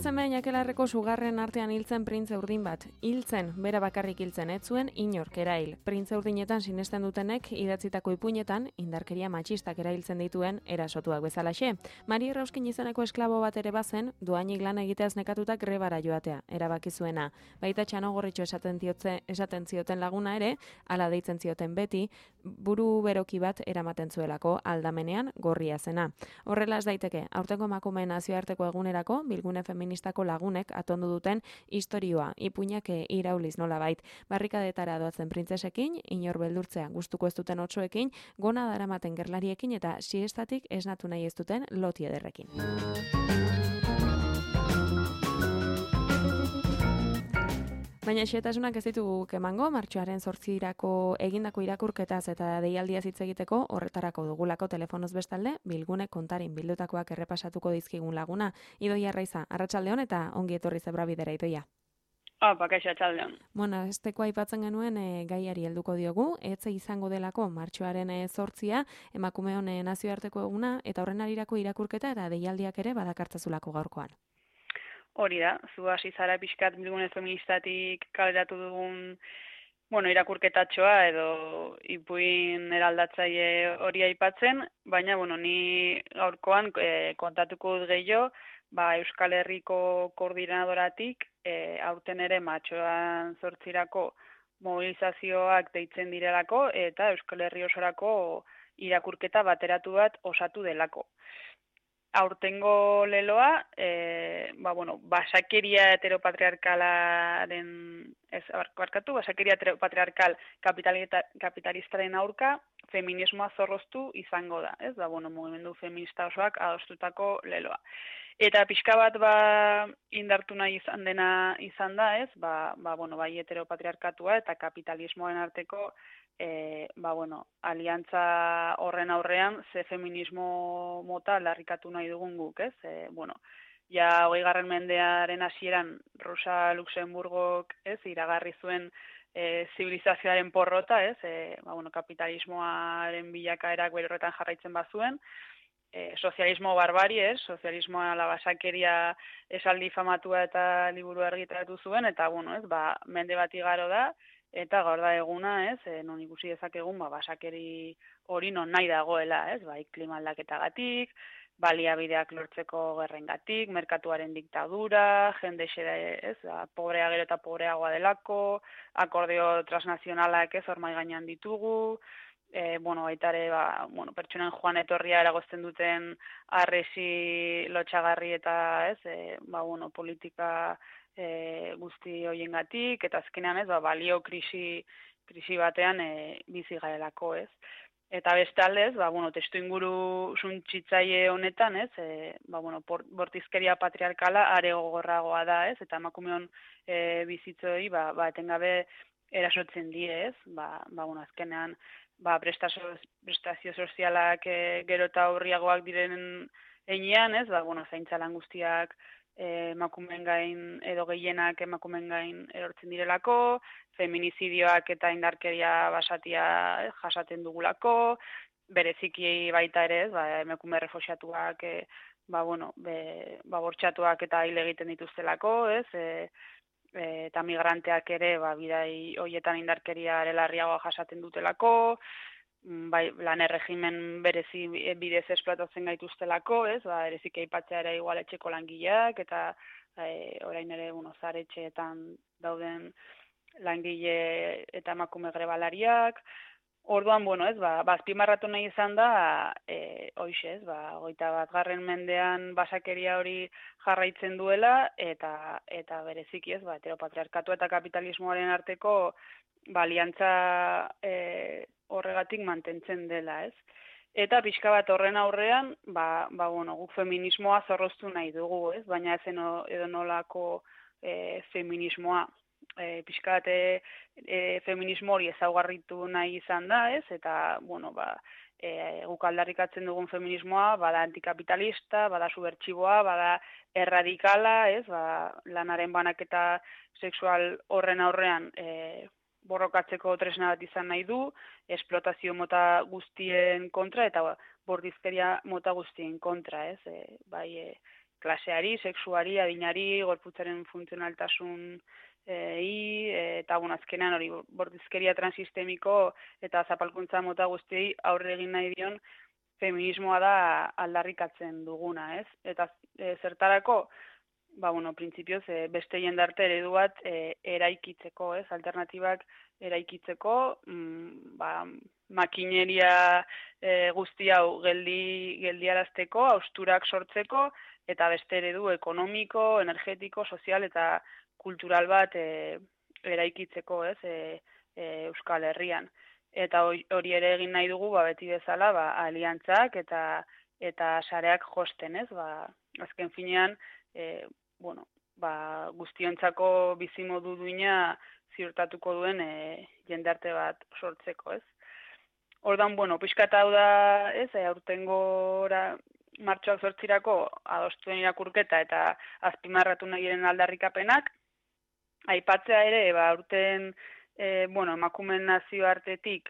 seme Jakelarreko sugarren artean hiltzen printze urdin bat. Hiltzen, bera bakarrik hiltzen, ez zuen inork erail. Printze urdinetan sinesten dutenek idatzitako ipuinetan indarkeria matxistak erailtzen dituen erasotuak bezalaxe. Mari Errauskin izeneko esklabo bat ere bazen, dohainik lan egiteaz nekatutak grebara joatea, erabaki zuena. Baita Txanogorritxo esaten zioten laguna ere, hala deitzen zioten beti, buru beroki bat eramaten zuelako aldamenean gorria zena. Horrela ez daiteke, aurtengo emakumeen nazioarteko egunerako bilgune feministako lagunek atondu duten istorioa, ipuinak irauliz nolabait. Barrikadetara doazen printzesekin, inor beldurtzea gustuko ez duten otsoekin, gona daramaten gerlariekin eta siestatik esnatu nahi ez duten loti ederrekin. Baina xehetasunak ez ditugu emango, martxoaren 8 egindako irakurketaz eta deialdiaz hitz egiteko horretarako dugulako telefonoz bestalde, bilgune kontarin bildutakoak errepasatuko dizkigun laguna. Idoia Arraiza, arratsaldeon eta ongi etorri Zebrabidera, Idoia. Kaixo, arratsaldeon. Bueno, esteko aipatzen genuen gaiari helduko diogu, etze izango delako martxoaren 8 emakumeon nazioarteko eguna eta horren arirako irakurketa eta deialdiak ere badakartzazulako gaurkoan. Hori da, zu hasi zara pixkat bilgune feministatik kaleratu dugun irakurketatxoa edo ipuin eraldatzaile hori aipatzen, baina ni gaurkoan kontatuko dut gehiago, Euskal Herriko koordinadoratik aurten ere martxoan 8 mobilizazioak deitzen direlako eta Euskal Herri osorako irakurketa bateratu bat osatu delako. Aurtengo leloa, basakeria heteropatriarkalaren, basakeria heteropatriarkal kapitalistaren aurka, feminismoa zorroztu izango da, ez? Mugimendu feminista osoak adostutako leloa. Eta pixka bat indartu nahi izan da, ez? Bai heteropatriarkatua eta kapitalismoaren arteko aliantza horren aurrean ze feminismo mota aldarrikatu nahi dugun guk, ez? 20. mendearen hasieran Rosa Luxemburgok, ez, iragarri zuen zibilizazioaren porrota, ez? Kapitalismoaren bilakaerak bere horretan jarraitzen bazuen, sozialismo barbari, ez? Sozialismoa la basakeria esaldi famatua eta liburu argitaratu zuen, eta mende bat igaro da, eta gaur da eguna, ez, non ikusi dezakegun, basakeri hori non nahi dagoela, ez, klima aldaketagatik, baliabideak lortzeko gerrengatik, merkatuaren diktadura, jende ez, pobrea gero eta pobreagoa delako, akordio transnazionalak ez, hormai gainean ditugu, baita ere, pertsonen joan etorria eragozten duten arresi lotxagarri eta, ez, politika guzti horiengatik, eta azkenean ez, balio krisi batean bizi garelako, ez. Eta bestalde, testu inguru suntsitzaile honetan, ez, bortizkeria patriarkala are gogorragoa da, ez, eta emakumeon bizitzoi, etengabe erasotzen die, ez, azkenean, prestazio sozialak gero eta horriagoak diren heinean, ez, zaintza lan guztiak emakumeen gain edo gehienak emakumeen gain erortzen direlako, feminizidioak eta indarkeria basatia jasaten dugulako, bereziki baita ere, ez, emakume refuxiatuak, bortxatuak eta hil egiten dituztelako, ez, eta migranteak ere, bidai horietan indarkeria larriagoa jasaten dutelako, lan erregimen berezi bidez esplotatzen gaituztelako, ez, erezik aipatzea ere igual etxeko langileak, eta orain ere, zaretxeetan dauden langile eta emakume grebalariak. Orduan, ez, azpimarratu nahi izan da, hoxe, ez, 21. mendean basakeria hori jarraitzen duela, eta bereziki, ez, heteropatriarkatu eta kapitalismoaren arteko aliantza horregatik mantentzen dela, ez. Eta pixka bat horren aurrean, guk feminismoa zorroztu nahi dugu, ez, baina ezen edo nolako feminismoa. Pixka bat feminismo hori ezaugarritu nahi izan da, ez, eta, guk aldarrikatzen dugun feminismoa, bada antikapitalista, bada subertsiboa, bada erradikala, ez, lanaren banaketa sexual horren aurrean borrokatzeko tresna bat izan nahi du, esplotazio mota guztien kontra eta bordizkeria mota guztien kontra, ez? klaseari, sexuari, adinari, gorputzaren funtzionaltasun eta azkenean hori bortizkeria transistemiko eta zapalkuntza mota guztiei aurre egin nahi dion feminismoa da aldarrikatzen duguna, ez? Eta zertarako, printzipioz beste jendarte eredu bat eraikitzeko, ez? Alternatibak eraikitzeko, makineria guzti hau geldiarazteko, hausturak sortzeko, eta beste eredu ekonomiko, energetiko, sozial eta kultural bat eraikitzeko, ez? Euskal Herrian. Eta hori ere egin nahi dugu, beti bezala, aliantzak eta sareak josten, ez? Azken finean, guztiontzako bizimodu duina ziurtatuko duen jendarte bat sortzeko, ez? Ordan, pixkat hau da, ez? Aurtengora martxoak 8irako adostuen irakurketa eta azpimarratu nahi diren aldarrikapenak, aipatzea ere, aurten emakumeen nazioartetik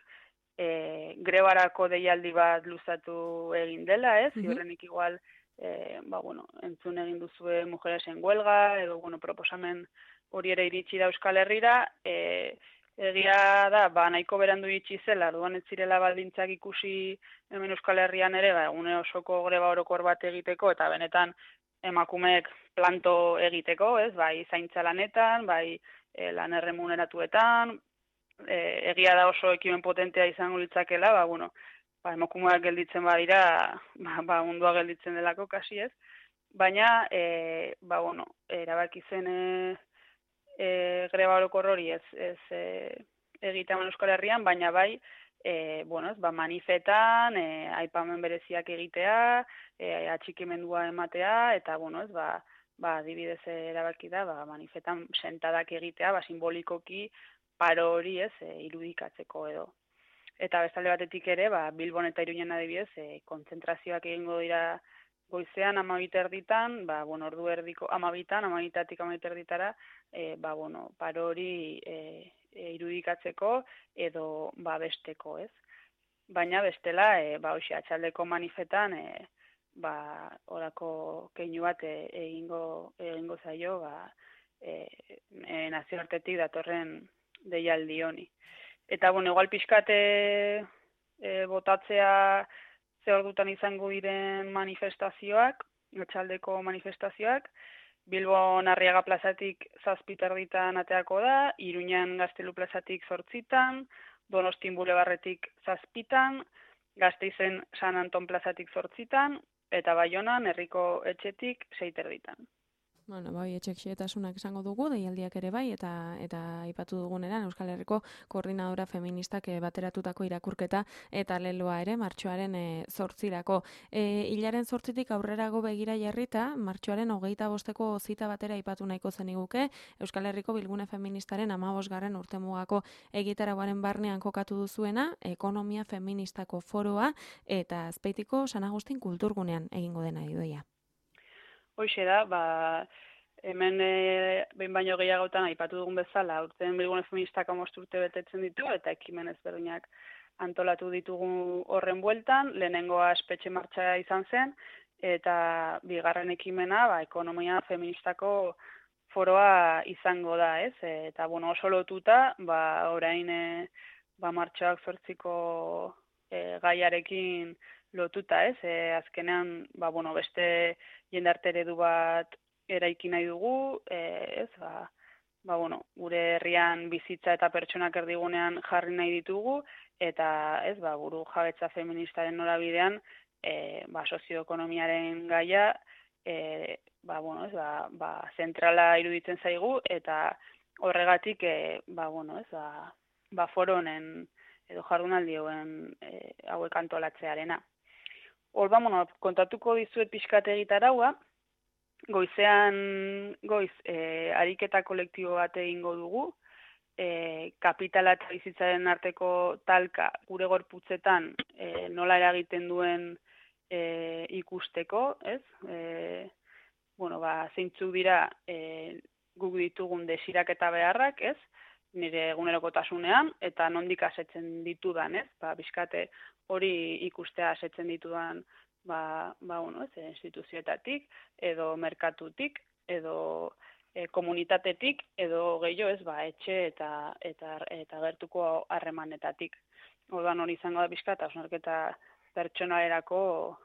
grebarako deialdi bat luzatu egin dela, ez? Ziurrenik igual, entzun egin duzue Mujeres en Huelga, edo, proposamen hori ere iritsi da Euskal Herrira, egia da, nahiko berandu iritsi zela, orduan ez zirela baldintzak ikusi hemen Euskal Herrian ere, egune osoko greba orokor bat egiteko, eta benetan emakumeek planto egiteko, ez? Bai zaintza lanetan, bai lan erremuneratuetan, egia da oso ekimen potentea izango litzakela, emakumeak gelditzen badira, mundua gelditzen delako kasi, ez? Baina, erabaki zen greba orokor hori ez egitea Euskal Herrian, baina bai, manifetan, aipamen bereziak egitea, atxikimendua ematea, eta, adibidez erabaki da, manifetan sentadak egitea, simbolikoki paro hori ez irudikatzeko edo. Eta bestalde batetik ere, Bilbon eta Iruñen adibidez, kontzentrazioak egingo dira goizean 12:00, ordu erdiko 12:00, 12:00-tik 12:30, paro hori irudikatzeko edo besteko, ez? Baina bestela, atxaldeko manifetan, orako keinu bat egingo zaio, nazioartetik datorren deialdi honi. Eta, igual pixkate botatzea ze ordutan izango diren manifestazioak, atxaldeko manifestazioak, Bilbon Arriaga plazatik 7:30 ateako da, Iruñan Gaztelu plazatik 8:00, Donostin Bulebarretik 7:00, Gasteizen San Anton plazatik 8:00, eta Baionan Herriko Etxetik 6:30. Etxexietasunak esango dugu, deialdiak ere bai, eta aipatu duguneran Euskal Herriko Koordinadora Feministak bateratutako irakurketa eta leloa ere martxoaren 8irako. Hilaren 8tik aurrerago begira jarrita, martxoaren 25ko zita batera aipatu nahiko zeniguke, Euskal Herriko Bilgune Feministaren 15. urtemugako egitarauaren barnean kokatu duzuena, Ekonomia Feministako Foroa eta Azpeitiko San Agustin Kulturgunean egingo dena idoia. Hoxe da, hemen behin baino gehiagotan aipatu dugun bezala, aurten Bilgune Feministak 15 urte betetzen ditu, eta ekimen ezberdinak antolatu ditugu horren bueltan, lehenengoa espetxe martxa izan zen, eta bigarren ekimena, Ekonomia Feministako Foroa izango da, ez? Eta, oso lotuta, orain martxoak 8ko gaiarekin lotuta, ez? Azkenean, beste jendarte eredu bat eraiki nahi dugu, ez? Gure herrian bizitza eta pertsonak erdigunean jarri nahi ditugu, eta, ez, buru jabetza feministaren norabidean, sozioekonomiaren gaia, zentrala iruditzen zaigu, eta horregatik, foro honen edo jardunaldi hauek antolatzearena. Kontatuko dizuet pixkat egitaraua, goiz ariketa kolektibo bat egingo dugu, kapitala eta bizitzaren arteko talka gure gorputzetan nola eragiten duen ikusteko, ez? Zeintzuk dira guk ditugun desirak eta beharrak, ez? Nire egunerokotasunean, eta nondik asetzen ditudan, ez? Bizkate hori ikustea asetzen ditudan instituzioetatik, edo merkatutik, edo komunitatetik, edo gehiago etxe eta gertuko harremanetatik. Orduan hori izango da pixka eta hausnarketa pertsonalerako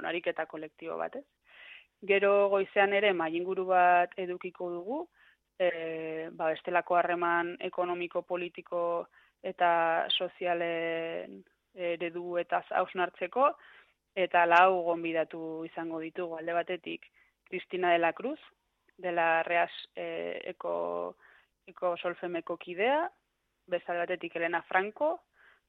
ariketa kolektibo bat, ez? Gero goizean ere mailinguru bat edukiko dugu, bestelako harreman ekonomiko, politiko eta sozialen eredu eta hausnartzeko, eta 4 gonbidatu izango ditugu alde batetik Cristina de la Cruz, de la Reas Eko Solfemeko kidea, bestalde batetik Elena Franco,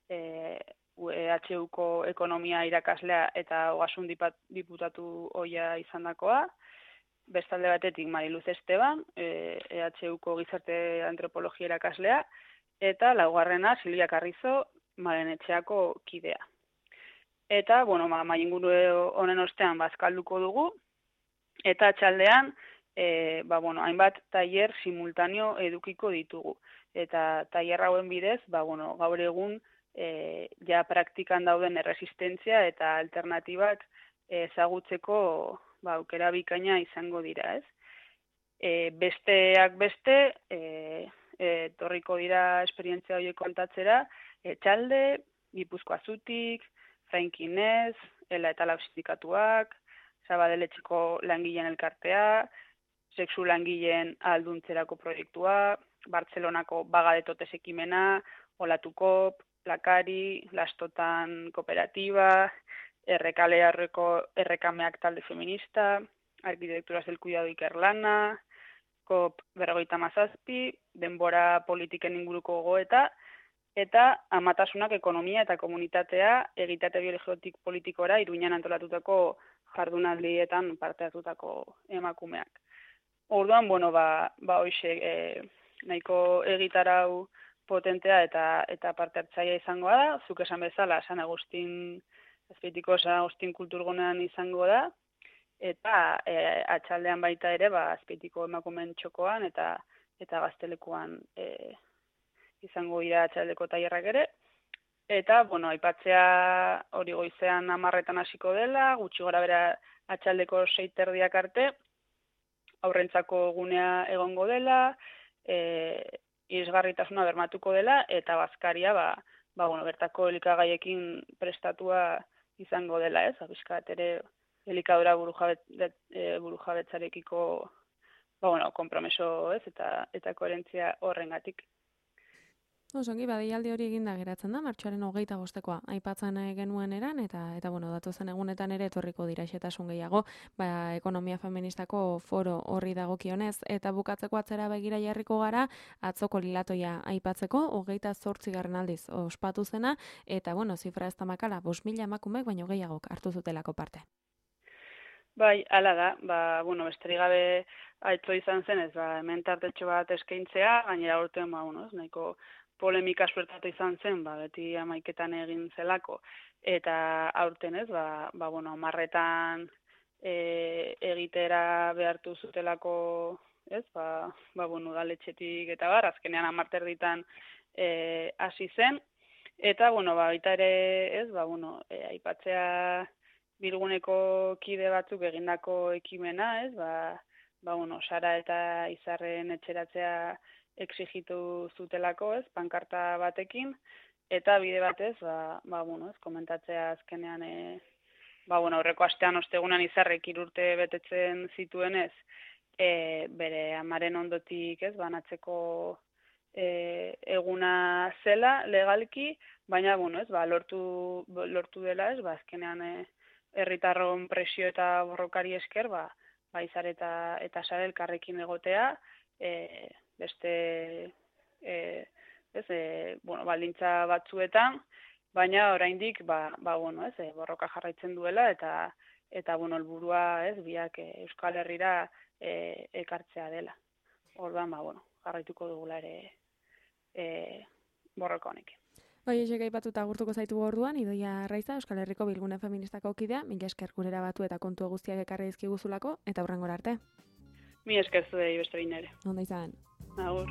EHUko ekonomia irakaslea eta ogasun diputatu ohia izandakoa, bestalde batetik Mariluz Esteban, EHUko gizarte antropologia irakaslea, eta 4. Silvia Carrizo, Marenetxeako kidea. Eta, mailinguru honen ostean bazkalduko dugu, eta txaldean, hainbat tailer simultaneo edukiko ditugu. Eta tailer hauen bidez, gaur egun ja praktikan dauden erresistentzia eta alternatibak ezagutzeko aukera bikaina izango dira, ez? Besteak beste, etorriko dira esperientzia horiek kontatzera, Etxalde, Gipuzkoa Zutik, Zainkinez, Ela eta Lab sindikatuak, Sabadeletxeko langileen elkartea, sexu langileen ahalduntzerako proiektua, Bartzelonako Baga de Totes ekimena, Olatukop, Lakari, Lastotan kooperatiba, Errekameak talde feminista, Arquitecturas del Cuidado Ikerlana, COP 57, denbora politiken inguruko gogoeta, eta amatasunak ekonomia eta komunitatea egitate biologikotik politikora Iruñan antolatutako jardunaldietan parte hartutako emakumeak. Orduan, hoxe nahiko egitarau potentea eta parte hartzailea izango da, zuk esan bezala Azpeitiko San Agustin kulturgunean izango da, eta atxaldean baita ere Azpeitiko emakumeen txokoan eta Gaztelekuan izango dira atxaldeko tailerrak ere. Eta, aipatzea hori goizean 10 hasiko dela, gutxi gora bera atxaldeko 6:30 arte, aurrentzako gunea egongo dela, irisgarritasuna bermatuko dela, eta bazkaria, bertako elikagaiekin prestatua izango dela, ez? Bizkat ere elikadura burujabetzarekiko konpromeso, ez? Eta koherentzia horrengatik. Osongi, deialdi hori eginda geratzen da, martxoaren 25koa aipatzen genuen eran, eta datozen egunetan ere etorriko dira xetasun gehiago, ekonomia feministako foro horri dagokionez, eta bukatzeko atzera begira jarriko gara, atzoko lilatoia aipatzeko, 28. aldiz ospatu zena, eta zifra ez da makala, 5.000 emakumek baino gehiagok hartu zutelako parte. Bai, hala da, besterik gabe aitzo izan zenez, hemen tartetxo bat eskaintzea, gainera urtean, nahiko polemika suertatu izan zen, beti 11etan egin zelako, eta aurten ez, 10etan egitera behartu zutelako, ez, udaletxetik eta azkenean 10 hasi zen, eta, baita ere, ez, aipatzea bilguneko kide batzuk egindako ekimena, ez, Sara eta Izarren etxeratzea exigitu zutelako, ez, pankarta batekin, eta bide batez, komentatzea azkenean, aurreko astean ostegunan Izarrek 3 urte betetzen zituenez, bere amaren ondotik, ez, banatzeko eguna zela legalki, baina, lortu dela, ez, azkenean herritarron presio eta borrokari esker, Izar eta Sara elkarrekin egotea, beste baldintza batzuetan, baina oraindik borroka jarraitzen duela eta helburua, ez, biak Euskal Herrira ekartzea dela. Orduan, jarraituko dugula ere borroka honekin. Esek aipatuta agurtuko zaitu orduan, Idoia Arraiza, Euskal Herriko Bilgune Feministako kidea, mila esker gurera batu eta kontu guztiak ekarri dizkiguzulako, eta hurrengora arte. Mila esker zuei beste behin ere. Ondo izan. Agur.